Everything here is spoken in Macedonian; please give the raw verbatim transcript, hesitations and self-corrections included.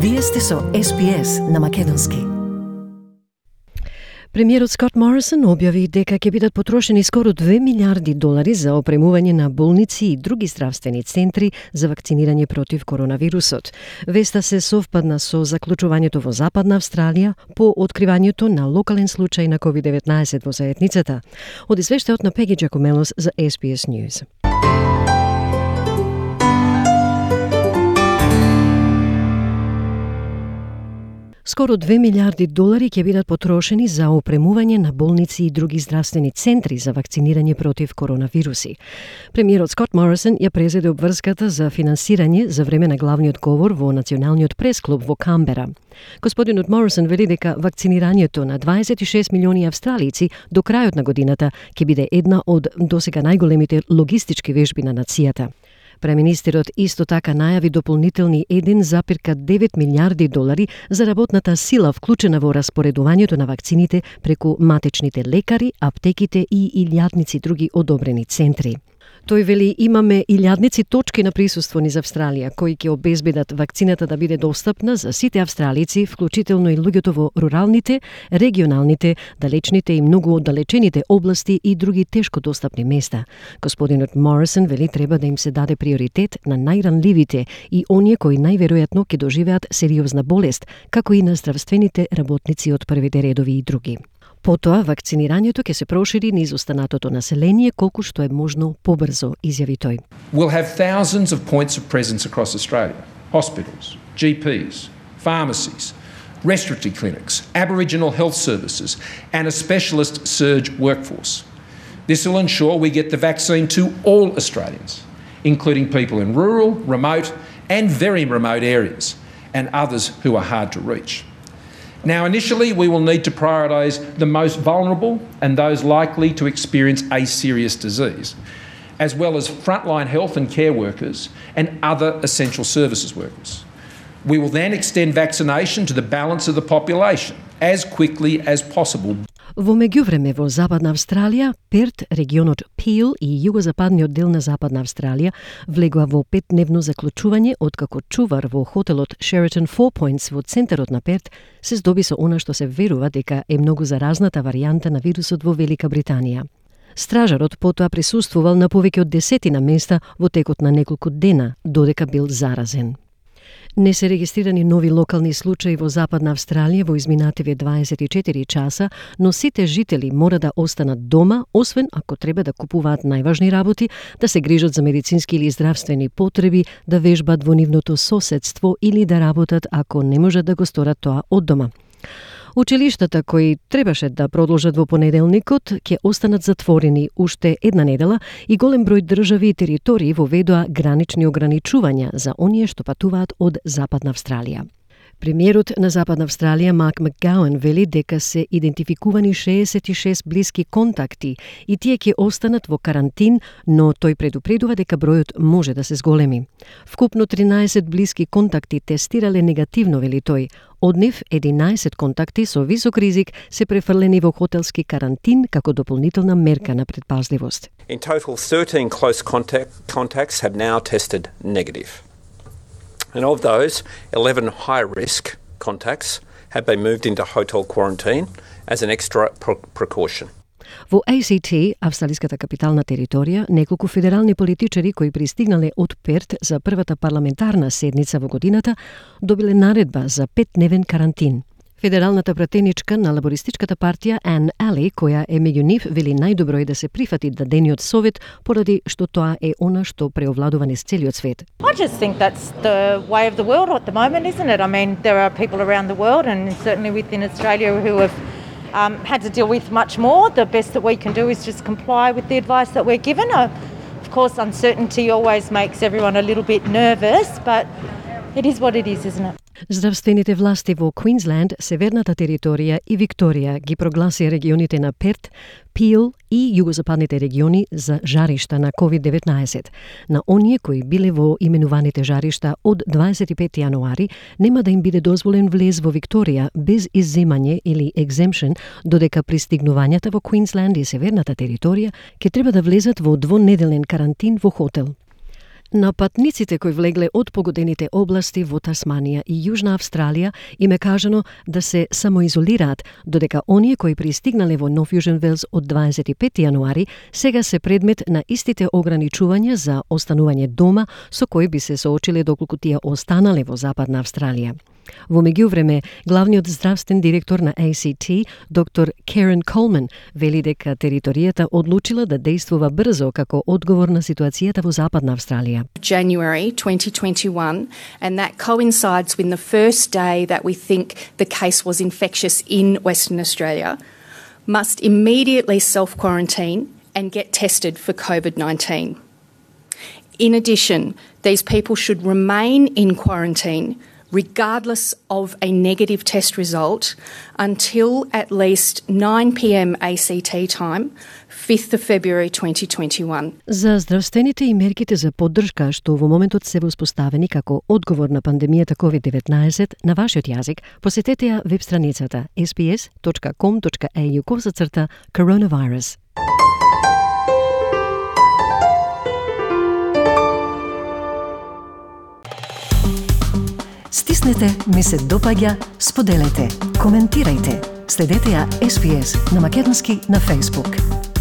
Вие сте со Ес Би Ес на македонски. Премиерот Скот Морисон објави дека ќе бидат потрошени скоро две милиарди долари за опремување на болници и други здравствени центри за вакцинирање против коронавирусот. Веста се совпадна со заклучувањето во Западна Австралија по откривањето на локален случај на ковид деветнаесет во заедницата. Од извештајот на Пеги Джакомелос за Ес Би Ес News. Скоро две милиарди долари ќе бидат потрошени за опремување на болници и други здравствени центри за вакцинирање против коронавируси. Премиерот Скот Морисон ја презеде обврската за финансирање за време на главниот говор во Националниот пресклуб во Камбера. Господинот Морисон вели дека вакцинирањето на дваесет и шест милиони австралици до крајот на годината ќе биде една од досега најголемите логистички вежби на нацијата. Преминистерот исто така најави дополнителни еден зарез девет милиарди долари за работната сила вклучена во распоредувањето на вакцините преку матечните лекари, аптеките и илјадници други одобрени центри. Тој вели имаме илјадници точки на присуство низ Австралија кои ќе обезбедат вакцината да биде достапна за сите австралици, вклучително и луѓето во руралните, регионалните, далечните и многу оддалечените области и други тешко достапни места. Господинот Морисон вели треба да им се даде приоритет на најранливите и оние кои најверојатно ќе доживеат сериозна болест, како и на здравствените работници од првите редови и други. Потоа, вакцинирањето ќе се прошири низ останатото население колку што е можно побрзо, изјави тој. We'll have thousands of points of presence across Australia. Hospitals, G Ps, pharmacies, respiratory clinics, Aboriginal health services and a specialist surge workforce. This will ensure we get the vaccine to all Australians, including people in rural, remote and very remote areas and others who are hard to reach. Now, initially, we will need to prioritise the most vulnerable and those likely to experience a serious disease, as well as frontline health and care workers and other essential services workers. We will then extend vaccination to the balance of the population as quickly as possible. Во меѓувреме во Западна Австралија, Перт, регионот Пил и југозападниот дел на Западна Австралија влегува во петдневно заклучување откако чувар во хотелот Sheraton Four Points во центарот на Перт се здоби со она што се верува дека е многу заразната варијанта на вирусот во Велика Британија. Стражарот потоа присуствувал на повеќе од десетина места во текот на неколку дена, додека бил заразен. Не се регистрирани нови локални случаи во Западна Австралија во изминативе дваесет и четири часа, но сите жители мора да останат дома, освен ако треба да купуваат најважни работи, да се грижат за медицински или здравствени потреби, да вежбат во нивното соседство или да работат ако не можат да го сторат тоа од дома. Училиштата кои требаше да продолжат во понеделникот ќе останат затворени уште една недела и голем број држави и територии воведоа гранични ограничувања за оние што патуваат од Западна Австралија. Премиерот на Западна Австралија Марк Макгауен вели дека се идентификувани шеесет и шест блиски контакти и тие ќе останат во карантин, но тој предупредува дека бројот може да се зголеми. Вкупно тринаесет блиски контакти тестирале негативно, вели тој. Од нив единаесет контакти со висок ризик се префрлени во хотелски карантин како дополнителна мерка на предпазливост. In total, thirteen close contact, contacts have now tested negative. And of those, eleven high-risk contacts have been moved into hotel quarantine as an extra pro- precaution. Во А Си Ти, австралиската капитална територија, неколку федерални политичари кои пристигнале од Перт за првата парламентарна седница во годината, добиле наредба за петдневен карантин. Федералната пратеничка на лабористичката партија Ан Али, која е меѓу нив, вели најдобро е да се прифати дадениот совет поради што тоа е она што преовладува низ целиот свет. I just think that's the way of the world at the moment, isn't it? I mean, there are people around the world and certainly within Australia who have um, had to deal with much more. The best that we can do is just comply with the advice that we're given. Uh, of course, uncertainty always makes everyone a little bit nervous, but it is what it is, isn't it? Здравствените власти во Квинсленд, Северната територија и Викторија ги прогласи регионите на Перт, Пил и југозападните региони за жаришта на ковид деветнаесет. На оние кои биле во именуваните жаришта од дваесет и пети јануари нема да им биде дозволен влез во Викторија без изземање или exemption, додека пристигнувањата во Квинсленд и Северната територија ќе треба да влезат во двонеделен карантин во хотел. На патниците кои влегле од погодените области во Тасманија и Јужна Австралија им е кажано да се самоизолираат, додека оние кои пристигнале во Нов Јужен Велс од дваесет и пети јануари сега се предмет на истите ограничувања за останување дома со кои би се соочиле доколку тие останале во Западна Австралија. Во меѓувреме, главниот здравствен директор на A C T, доктор Karen Coleman, вели дека територијата одлучила да действува брзо како одговор на ситуацијата во Западна Австралија. January twenty twenty-one, and that coincides with the first day that we think the case was infectious in Western Australia, must immediately self-quarantine and get tested for COVID nineteen. In addition, these people should remain in quarantine regardless of a negative test result until at least nine p m A C T time, fifth of February twenty twenty-one. За здравствените и мерките за поддршка што во моментот се воспоставени како одговор на пандемијата ковид деветнаесет на вашиот јазик, посетете ја веб страницата s b s dot com dot a u косацрта coronavirus. Стиснете, ми се допаѓа, споделете, коментирајте. Следете ја S B S на македонски на Facebook.